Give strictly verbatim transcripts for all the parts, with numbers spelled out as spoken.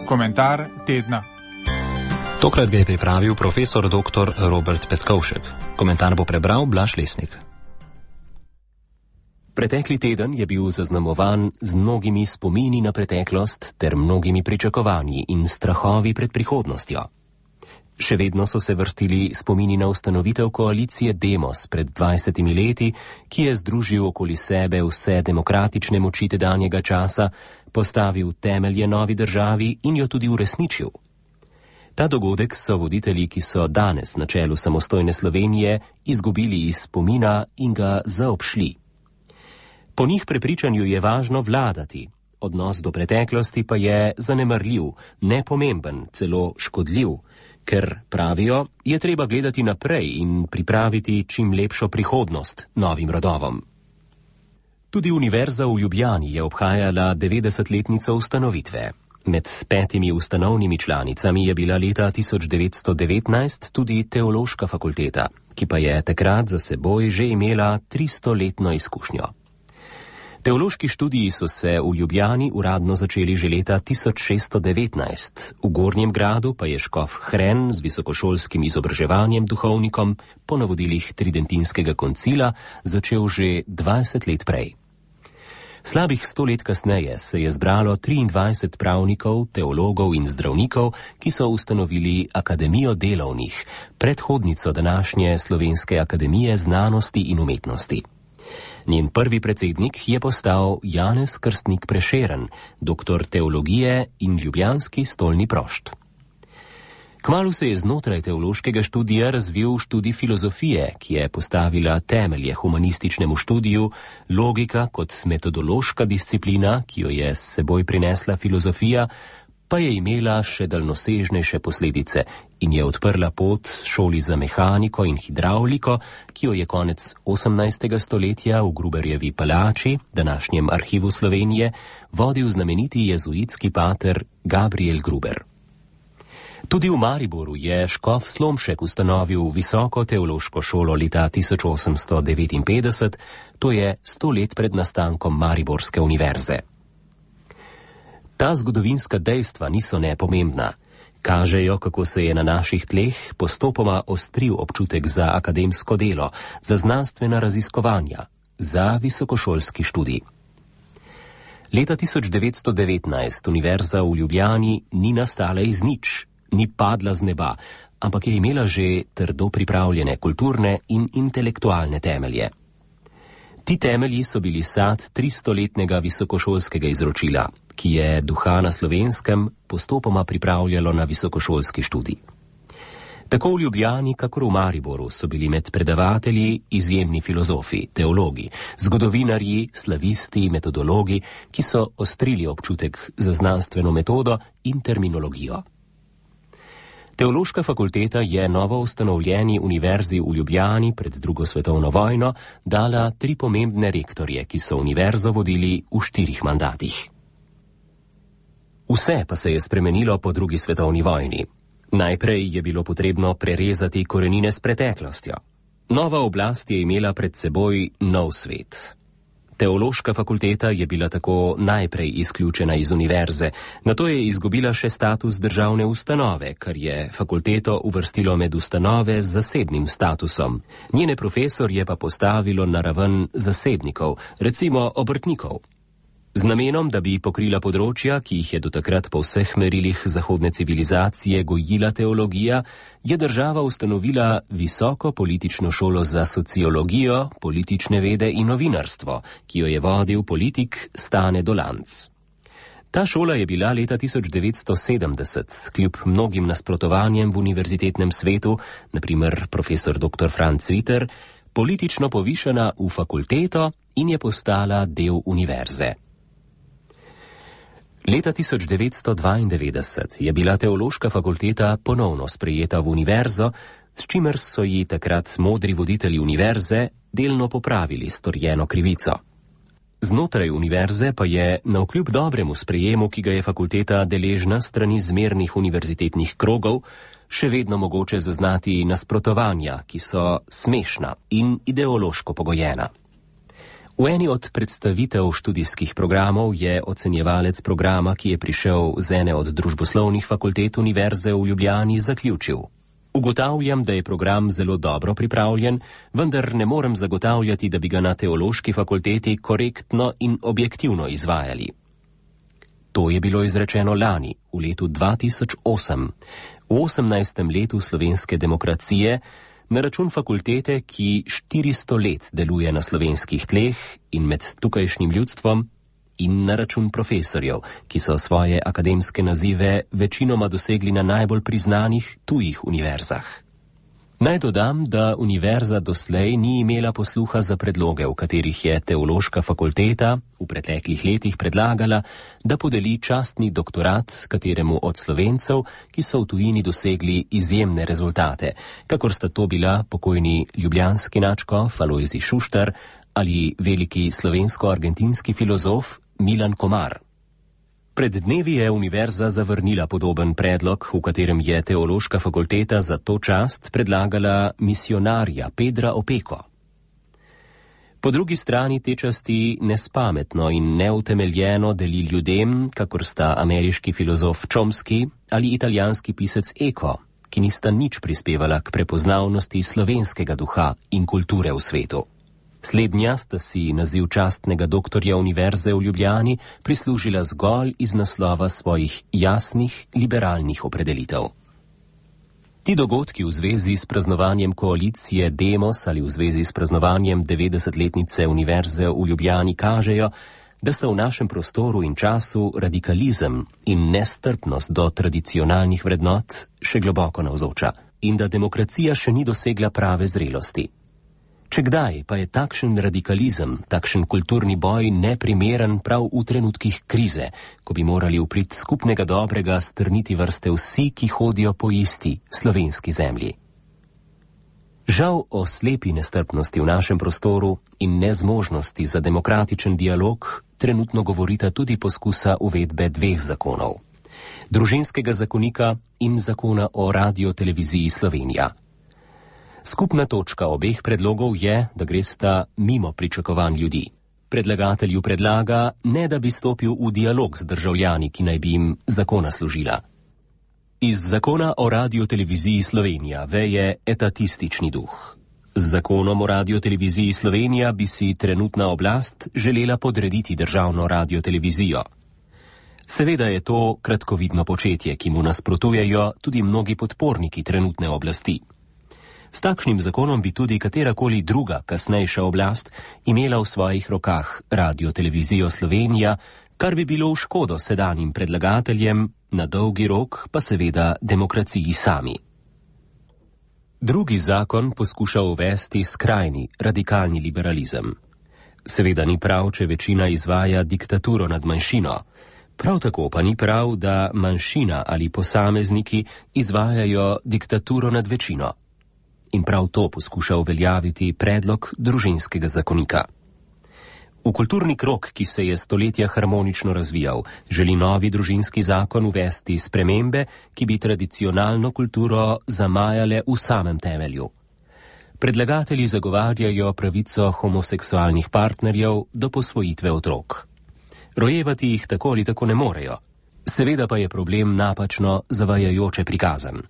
Komentar tedna. Tokrat ga je pripravil profesor doktor Robert Petkovšek. Komentar bo prebral Blaž Lesnik. Pretekli teden je bil zaznamovan z mnogimi spomini na preteklost ter mnogimi pričakovanji in strahovi pred prihodnostjo. Še vedno so se vrstili spomini na ustanovitev koalicije Demos pred dvajsetimi leti, ki je združil okoli sebe vse demokratične moči tedanjega časa, postavil temelje novi državi in jo tudi uresničil. Ta dogodek so voditelji, ki so danes na čelu samostojne Slovenije, izgubili iz spomina in ga zaobšli. Po njih prepričanju je važno vladati, odnos do preteklosti pa je zanemarljiv, nepomemben, celo škodljiv, ker, pravijo, je treba gledati naprej in pripraviti čim lepšo prihodnost novim rodovom. Tudi Univerza v Ljubljani je obhajala devetdesetletnico ustanovitve. Med petimi ustanovnimi članicami je bila leta tisoč devetsto devetnajst tudi Teološka fakulteta, ki pa je takrat za seboj že imela tristoletno izkušnjo. Teološki študiji so se v Ljubljani uradno začeli že leta tisoč šeststo devetnajst, v Gornjem Gradu pa je škof Hren z visokošolskim izobraževanjem duhovnikom po navodilih Tridentinskega koncila začel že dvajset let prej. Slabih sto let kasneje se je zbralo triindvajset pravnikov, teologov in zdravnikov, ki so ustanovili Akademijo delovnih, predhodnico današnje Slovenske akademije znanosti in umetnosti. Njen prvi predsednik je postal Janez Krstnik Prešeren, doktor teologije in ljubljanski stolni prošt. Kmalu se je znotraj teološkega študija razvil študij filozofije, ki je postavila temelje humanističnemu študiju, logika kot metodološka disciplina, ki jo je s seboj prinesla filozofija, pa je imela še daljnosežnejše posledice in je odprla pot šoli za mehaniko in hidravliko, ki jo je konec osemnajstega stoletja v Gruberjevi palači, današnjem arhivu Slovenije, vodil znameniti jezuitski pater Gabriel Gruber. Tudi v Mariboru je škof Slomšek ustanovil visoko teološko šolo leta tisoč osemsto devetinpetdeset, to je sto let pred nastankom Mariborske univerze. Ta zgodovinska dejstva niso nepomembna. Kažejo, kako se je na naših tleh postopoma ostril občutek za akademsko delo, za znanstvena raziskovanja, za visokošolski študij. Leta tisoč devetsto devetnajst Univerza v Ljubljani ni nastala iz nič, ni padla z neba, ampak je imela že trdo pripravljene kulturne in intelektualne temelje. Ti temelji so bili sad tristoletnega visokošolskega izročila, ki je duha na Slovenskem postopoma pripravljalo na visokošolski študij. Tako v Ljubljani, kakor v Mariboru so bili med predavatelji izjemni filozofi, teologi, zgodovinarji, slavisti, metodologi, ki so ostrili občutek za znanstveno metodo in terminologijo. Teološka fakulteta je novo ustanovljeni univerzi v Ljubljani pred drugo svetovno vojno dala tri pomembne rektorje, ki so univerzo vodili v štirih mandatih. Vse pa se je spremenilo po drugi svetovni vojni. Najprej je bilo potrebno prerezati korenine s preteklostjo. Nova oblast je imela pred seboj nov svet. Teološka fakulteta je bila tako najprej izključena iz univerze, nato je izgubila še status državne ustanove, kar je fakulteto uvrstilo med ustanove z zasebnim statusom. Njene profesorje pa postavilo na raven zasebnikov, recimo obrtnikov. Z namenom, da bi pokrila področja, ki jih je do takrat po vseh merilih zahodne civilizacije gojila teologija, je država ustanovila visoko politično šolo za sociologijo, politične vede in novinarstvo, ki jo je vodil politik Stane Dolanc. Ta šola je bila leta tisoč devetsto sedemdeset, kljub mnogim nasprotovanjem v univerzitetnem svetu, na primer profesor doktor Franc Viter, politično povišana v fakulteto in je postala del univerze. Leta tisoč devetsto dvaindevetdeset je bila teološka fakulteta ponovno sprejeta v univerzo, s čimer so ji takrat modri voditelji univerze delno popravili storjeno krivico. Znotraj univerze pa je navkljub dobremu sprejemu, ki ga je fakulteta deležna strani zmernih univerzitetnih krogov, še vedno mogoče zaznati nasprotovanja, ki so smešna in ideološko pogojena. V eni od predstavitev študijskih programov je ocenjevalec programa, ki je prišel z ene od družboslovnih fakultet Univerze v Ljubljani, zaključil: Ugotavljam, da je program zelo dobro pripravljen, vendar ne morem zagotavljati, da bi ga na teološki fakulteti korektno in objektivno izvajali. To je bilo izrečeno lani, v letu dva tisoč osem, v osemnajstem letu slovenske demokracije, na račun fakultete, ki štiristo let deluje na slovenskih tleh in med tukajšnjim ljudstvom, in na račun profesorjev, ki so svoje akademske nazive večinoma dosegli na najbolj priznanih tujih univerzah. Naj dodam, da univerza doslej ni imela posluha za predloge, v katerih je teološka fakulteta v preteklih letih predlagala, da podeli častni doktorat kateremu od Slovencev, ki so v tujini dosegli izjemne rezultate, kakor sta to bila pokojni ljubljanski nadškof Alojzij Šuštar ali veliki slovensko-argentinski filozof Milan Komar. Pred dnevi je univerza zavrnila podoben predlog, v katerem je teološka fakulteta za to čast predlagala misionarja Pedra Opeko. Po drugi strani te časti nespametno in neutemeljeno deli ljudem, kakor sta ameriški filozof Chomsky ali italijanski pisec Eco, ki nista nič prispevala k prepoznavnosti slovenskega duha in kulture v svetu. Slednja sta si naziv častnega doktorja Univerze v Ljubljani prislužila zgolj iz naslova svojih jasnih liberalnih opredelitev. Ti dogodki v zvezi s praznovanjem koalicije Demos ali v zvezi s praznovanjem devetdesetletnice Univerze v Ljubljani kažejo, da so v našem prostoru in času radikalizem in nestrpnost do tradicionalnih vrednot še globoko navzoča in da demokracija še ni dosegla prave zrelosti. Če kdaj pa je takšen radikalizem, takšen kulturni boj neprimeren prav v trenutkih krize, ko bi morali v prid skupnega dobrega strniti vrste vsi, ki hodijo po isti slovenski zemlji. Žal o slepi nestrpnosti v našem prostoru in nezmožnosti za demokratičen dialog trenutno govorita tudi poskusa uvedbe dveh zakonov: Družinskega zakonika in zakona o radioteleviziji Slovenija. Skupna točka obeh predlogov je, da gresta mimo pričakovanj ljudi. Predlagatelju predlaga, ne da bi stopil v dialog z državljani, ki naj bi jim zakona služila. Iz zakona o radioteleviziji Slovenija veje etatistični duh. Z zakonom o radioteleviziji Slovenija bi si trenutna oblast želela podrediti državno radiotelevizijo. Seveda je to kratkovidno početje, ki mu nasprotujejo tudi mnogi podporniki trenutne oblasti. S takšnim zakonom bi tudi katerakoli druga, kasnejša oblast imela v svojih rokah radiotelevizijo Slovenija, kar bi bilo v škodo sedanjim predlagateljem, na dolgi rok pa seveda demokraciji sami. Drugi zakon poskuša uvesti skrajni, radikalni liberalizem. Seveda ni prav, če večina izvaja diktaturo nad manjšino. Prav tako pa ni prav, da manjšina ali posamezniki izvajajo diktaturo nad večino. In prav to poskuša uveljaviti predlog družinskega zakonika. V kulturni krog, ki se je stoletja harmonično razvijal, želi novi družinski zakon uvesti spremembe, ki bi tradicionalno kulturo zamajale v samem temelju. Predlagatelji zagovarjajo pravico homoseksualnih partnerjev do posvojitve otrok. Rojevati jih tako ali tako ne morejo. Seveda pa je problem napačno zavajajoče prikazan.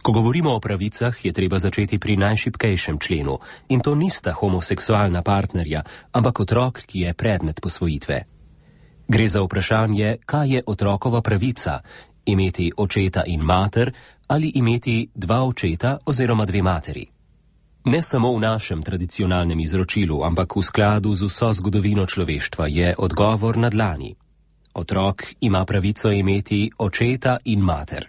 Ko govorimo o pravicah, je treba začeti pri najšibkejšem členu, in to nista homoseksualna partnerja, ampak otrok, ki je predmet posvojitve. Gre za vprašanje, kaj je otrokova pravica, imeti očeta in mater ali imeti dva očeta oziroma dve materi. Ne samo v našem tradicionalnem izročilu, ampak v skladu z vso zgodovino človeštva je odgovor na dlani. Otrok ima pravico imeti očeta in mater.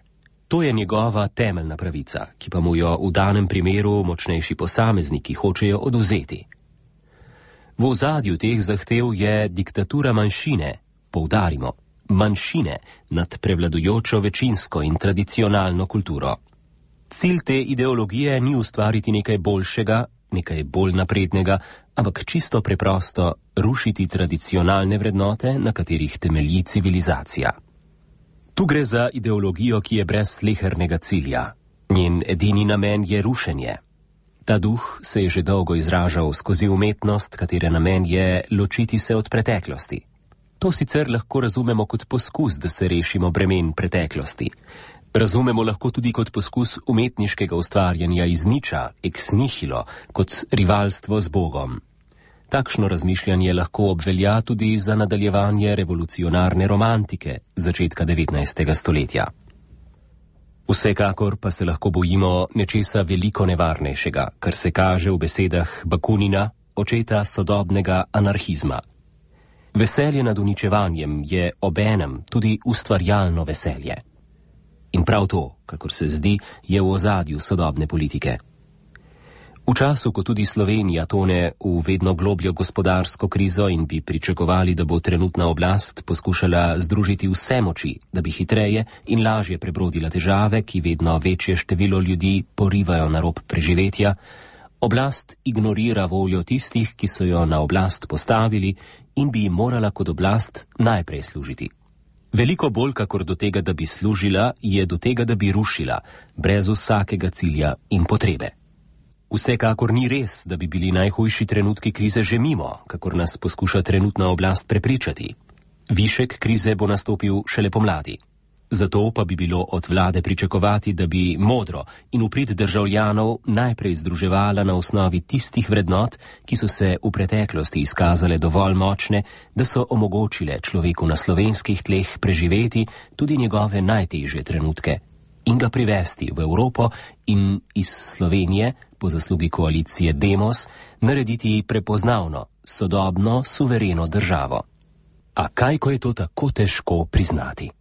To je njegova temeljna pravica, ki pa mu jo v danem primeru močnejši posamezniki hočejo odvzeti. V ozadju teh zahtev je diktatura manjšine, poudarimo, manjšine nad prevladujočo večinsko in tradicionalno kulturo. Cilj te ideologije ni ustvariti nekaj boljšega, nekaj bolj naprednega, ampak čisto preprosto rušiti tradicionalne vrednote, na katerih temelji civilizacija. Tu gre za ideologijo, ki je brez slehernega cilja. Njen edini namen je rušenje. Ta duh se je že dolgo izražal skozi umetnost, katere namen je ločiti se od preteklosti. To sicer lahko razumemo kot poskus, da se rešimo bremen preteklosti. Razumemo lahko tudi kot poskus umetniškega ustvarjanja iz niča, ex nihilo, kot rivalstvo z Bogom. Takšno razmišljanje lahko obvelja tudi za nadaljevanje revolucionarne romantike začetka devetnajstega stoletja. Vsekakor pa se lahko bojimo nečesa veliko nevarnejšega, kar se kaže v besedah Bakunina, očeta sodobnega anarhizma. Veselje nad uničevanjem je obenem tudi ustvarjalno veselje. In prav to, kakor se zdi, je v ozadju sodobne politike. V času, ko tudi Slovenija tone v vedno globljo gospodarsko krizo in bi pričakovali, da bo trenutna oblast poskušala združiti vse moči, da bi hitreje in lažje prebrodila težave, ki vedno večje število ljudi porivajo na rob preživetja, oblast ignorira voljo tistih, ki so jo na oblast postavili in bi jim morala kot oblast najprej služiti. Veliko bolj kakor do tega, da bi služila, je do tega, da bi rušila, brez vsakega cilja in potrebe. Vsekakor ni res, da bi bili najhujši trenutki krize že mimo, kakor nas poskuša trenutna oblast prepričati. Višek krize bo nastopil šele pomladi. Zato pa bi bilo od vlade pričakovati, da bi modro in v prid državljanov najprej združevala na osnovi tistih vrednot, ki so se v preteklosti izkazale dovolj močne, da so omogočile človeku na slovenskih tleh preživeti tudi njegove najtežje trenutke in ga privesti v Evropo in iz Slovenije, po zaslugi koalicije Demos, narediti prepoznavno, sodobno, suvereno državo. A kaj, ko je to tako težko priznati?